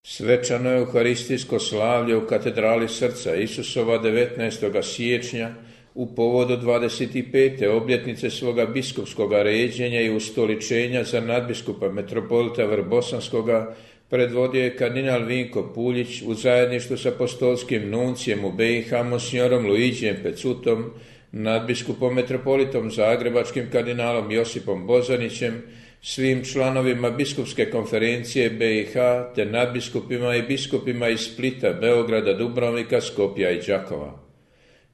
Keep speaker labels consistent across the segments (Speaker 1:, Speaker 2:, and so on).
Speaker 1: Svečano euharistijsko slavlje u katedrali Srca Isusova 19. siječnja u povodu 25. obljetnice svoga biskupskoga ređenja i ustoličenja za nadbiskupa metropolita Vrbosanskoga predvodio je kardinal Vinko Puljić u zajedništvu s apostolskim nuncijem u BiH monsignorom Luigijem Pecutom, nadbiskupom metropolitom zagrebačkim kardinalom Josipom Bozanićem, svim članovima biskupske konferencije BiH te nadbiskupima i biskupima iz Splita, Beograda, Dubrovnika, Skopja i Đakova.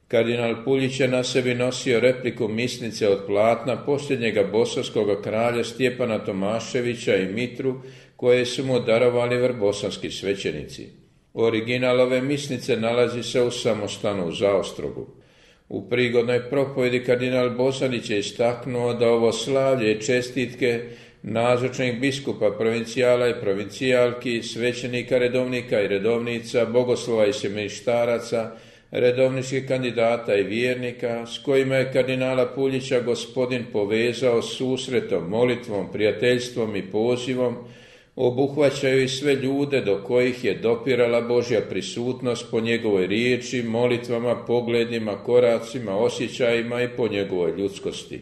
Speaker 1: Kardinal Puljić je na sebi nosio repliku misnice od platna posljednjega bosanskoga kralja Stjepana Tomaševića i mitru koje su mu darovali vrbosanski svećenici. Original ove misnice nalazi se u samostanu u Zaostrogu. U prigodnoj propovjedi kardinal Bozanić je istaknuo da ovo slavlje i čestitke nazočnih biskupa, provincijala i provincijalki, svećenika, redovnika i redovnica, bogoslova i semeništaraca, redovničkih kandidata i vjernika, s kojima je kardinala Puljića Gospodin povezao susretom, molitvom, prijateljstvom i pozivom, obuhvaćaju i sve ljude do kojih je dopirala Božja prisutnost po njegovoj riječi, molitvama, pogledima, koracima, osjećajima i po njegovoj ljudskosti.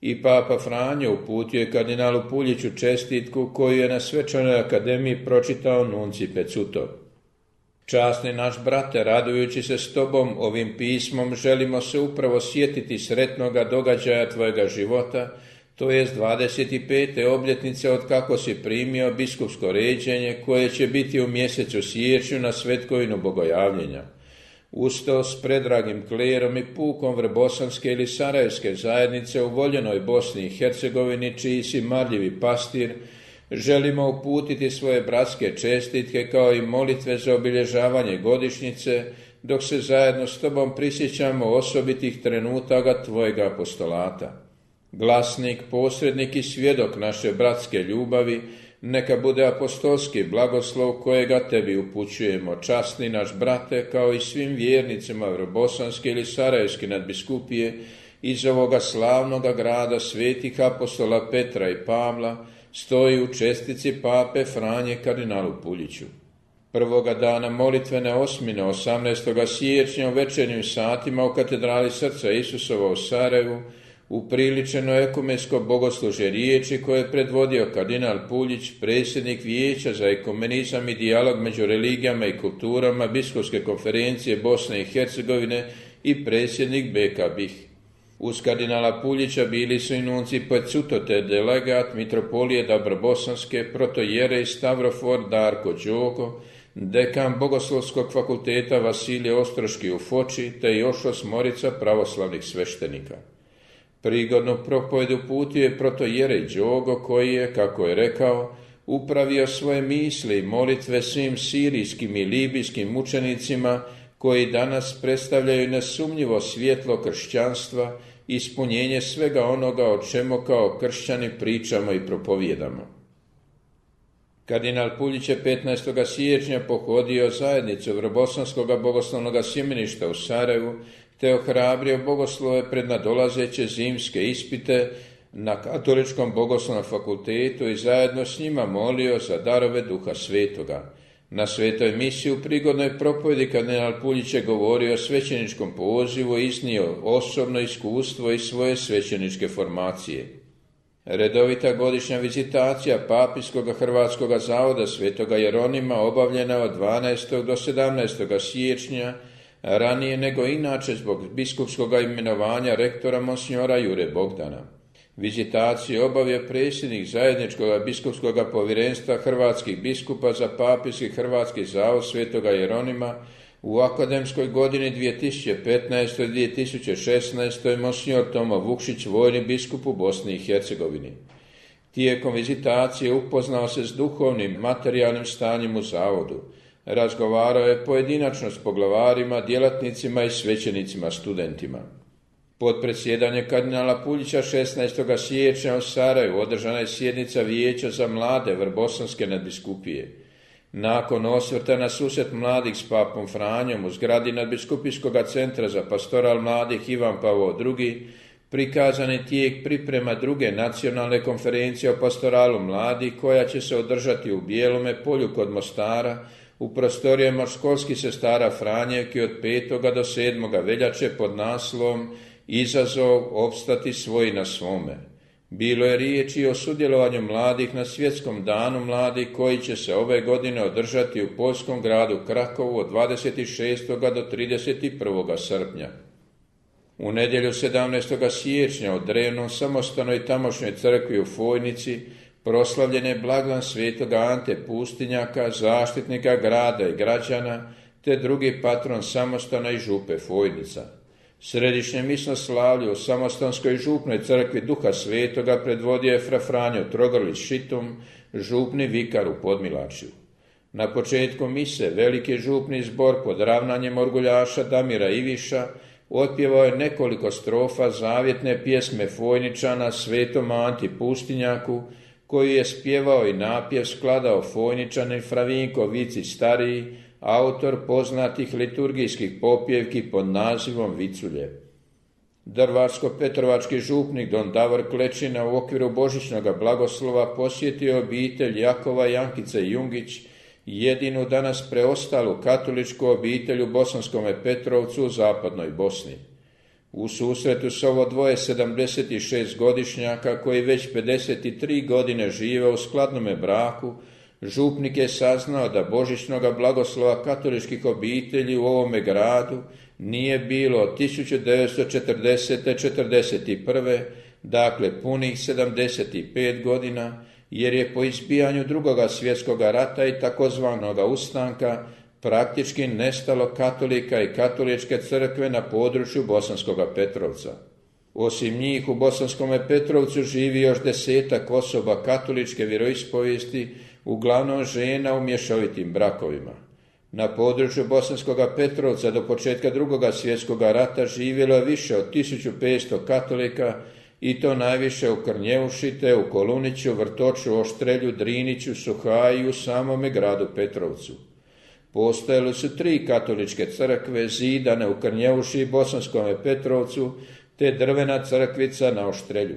Speaker 1: I Papa Franjo uputio je kardinalu Puljiću čestitku koju je na svečanoj akademiji pročitao nuncij Pecutov. Časni naš brate, radujući se s tobom ovim pismom, želimo se upravo sjetiti sretnoga događaja tvojega života, to jest 25. obljetnice od kako si primio biskupsko ređenje koje će biti u mjesecu siječnju na svetkovinu Bogojavljenja. Uz to s predragim klerom i pukom vrbosanske ili sarajevske zajednice u voljenoj Bosni i Hercegovini, čiji si marljivi pastir, želimo uputiti svoje bratske čestitke kao i molitve za obilježavanje godišnjice, dok se zajedno s tobom prisjećamo osobitih trenutaka tvojega apostolata. Glasnik, posrednik i svjedok naše bratske ljubavi, neka bude apostolski blagoslov kojega tebi upućujemo, časni naš brate, kao i svim vjernicima vrbosanske ili sarajevske nadbiskupije iz ovoga slavnoga grada svetih apostola Petra i Pavla, stoji u čestici Pape Franje kardinalu Puljiću. Prvoga dana molitvene osmine 18. siječnja u večernjim satima u katedrali Srca Isusova u Sarajevu upriličeno ekumensko bogoslužje riječi koje je predvodio kardinal Puljić, predsjednik Vijeća za ekumenizam i dijalog među religijama i kulturama Biskupske konferencije Bosne i Hercegovine i predsjednik BK BiH. Uz kardinala Puljića bili su i nuncij Pecuto te delegat mitropolije Dabrobosanske, protojerej Stavrofor Darko Đogo, dekan Bogoslovskog fakulteta Vasilije Ostroški u Foči te još 8 pravoslavnih sveštenika. Prigodnu propovjed uputio je protojerej Đogo koji je, kako je rekao, upravio svoje misli i molitve svim sirijskim i libijskim mučenicima koji danas predstavljaju nesumnjivo svjetlo kršćanstva i ispunjenje svega onoga o čemu kao kršćani pričamo i propovijedamo. Kardinal Puljić je 15. siječnja pohodio zajednicu Vrbosanskog bogoslovnog sjemeništa u Sarajevu te ohrabrio bogoslove pred nadolazeće zimske ispite na Katoličkom bogoslovnom fakultetu i zajedno s njima molio za darove Duha Svetoga. Na svetoj misiji u prigodnoj propovjedi kardinal Puljić je govorio o svećeničkom pozivu i iznio osobno iskustvo iz svoje svećeničke formacije. Redovita godišnja vizitacija Papijskog Hrvatskog zavoda Svetoga Jeronima obavljena od 12. do 17. siječnja, ranije nego inače zbog biskupskog imenovanja rektora monsinjora Jure Bogdana. Vizitaciju obavio predsjednik zajedničkog biskupskog povjerenstva hrvatskih biskupa za Papijski Hrvatski zavod Svetoga Jeronima u akademskoj godini 2015-2016. monsinjor Tomo Vukšić, vojni biskup u Bosni i Hercegovini. Tijekom vizitacije upoznao se s duhovnim, materijalnim stanjem u zavodu. Razgovarao je pojedinačno s poglavarima, djelatnicima i svećenicima studentima. Pod predsjedanje kardinala Puljića 16. siječnja u Sarajevu održana je sjednica Vijeća za mlade Vrbosanske nadbiskupije. Nakon osvrta na susret mladih s papom Franjom u zgradi nadbiskupijskog centra za pastoral mladih Ivan Pavao II, prikazani tijek priprema druge nacionalne konferencije o pastoralu mladih koja će se održati u Bijelome polju kod Mostara u prostorijama školskih sestara Franjevki od 5. do 7. veljače pod naslovom Izazov opstati svoji na svome. Bilo je riječi o sudjelovanju mladih na Svjetskom danu mladih koji će se ove godine održati u poljskom gradu Krakovu od 26. do 31. srpnja. U nedjelju 17. siječnja u drevnom samostalnoj tamošnjoj crkvi u Fojnici proslavljen je blagdan svetog Ante Pustinjaka, zaštitnika grada i građana, te drugi patron samostana i župe Fojnica. Središnje misno slavlje u samostanskoj župnoj crkvi Duha Svetoga predvodio je fra Franjo Trogrlić Šitum, župni vikar u Podmilačju. Na početku mise veliki župni zbor pod ravnanjem orguljaša Damira Iviša otpjevao je nekoliko strofa zavjetne pjesme Fojničana svetom Anti Pustinjaku, koji je spjevao i napjev skladao Fojničanin Fravinko Vicić stariji, autor poznatih liturgijskih popjevki pod nazivom Viculje. Drvarsko-petrovački župnik don Davor Klečina u okviru božićnog blagoslova posjetio obitelj Jakova Jankice Jungić, jedinu danas preostalu katoličku obitelj u Bosanskome Petrovcu u zapadnoj Bosni. U susretu s ovo dvoje 76-godišnjaka koji već 53 godine žive u skladnome braku, župnik je saznao da božićnoga blagoslova katoličkih obitelji u ovome gradu nije bilo od 1940-41. dakle punih 75 godina, jer je po izbijanju Drugoga svjetskog rata i takozvanog ustanka praktički nestalo katolika i katoličke crkve na području Bosanskoga Petrovca. Osim njih u Bosanskome Petrovcu živi još 10 osoba katoličke vjeroispovijesti, uglavnom žena u mješovitim brakovima. Na području Bosanskoga Petrovca do početka Drugoga svjetskog rata živjelo je više od 1500 katolika, i to najviše u Krnjeuši, te u Koluniću, Vrtoču, Oštrelju, Driniću, Suhaji i u samome gradu Petrovcu. Postojale su 3 katoličke crkve zidane u Krnjeuši i Bosanskome Petrovcu, te drvena crkvica na Oštrelju.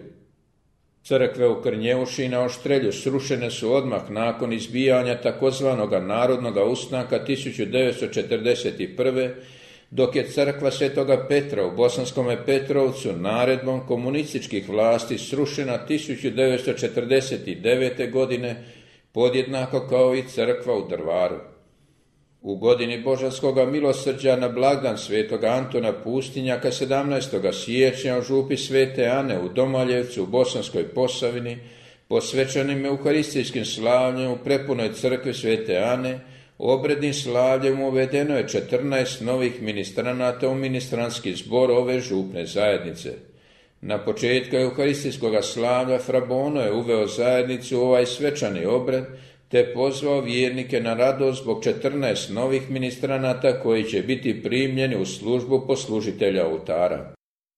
Speaker 1: Crkve u Krnjeuši i na Oštrelju srušene su odmah nakon izbijanja takozvanog narodnog ustanka 1941. dok je crkva Svetoga Petra u Bosanskome Petrovcu naredbom komunističkih vlasti srušena 1949. godine, podjednako kao i crkva u Drvaru. U godini Božanskoga milosrđa na blagdan svetog Antona Pustinjaka 17. siječnja u župi Svete Ane u Domaljevcu u Bosanskoj Posavini, posvećenim euharistijskim slavljem u prepunoj crkvi Svete Ane, obrednim slavljem uvedeno je 14 novih ministranata u ministranski zbor ove župne zajednice. Na početku euharistijskog slavlja fra Bono je uveo zajednicu u ovaj svečani obred, te pozvao vjernike na radost zbog 14 novih ministranata koji će biti primljeni u službu poslužitelja oltara.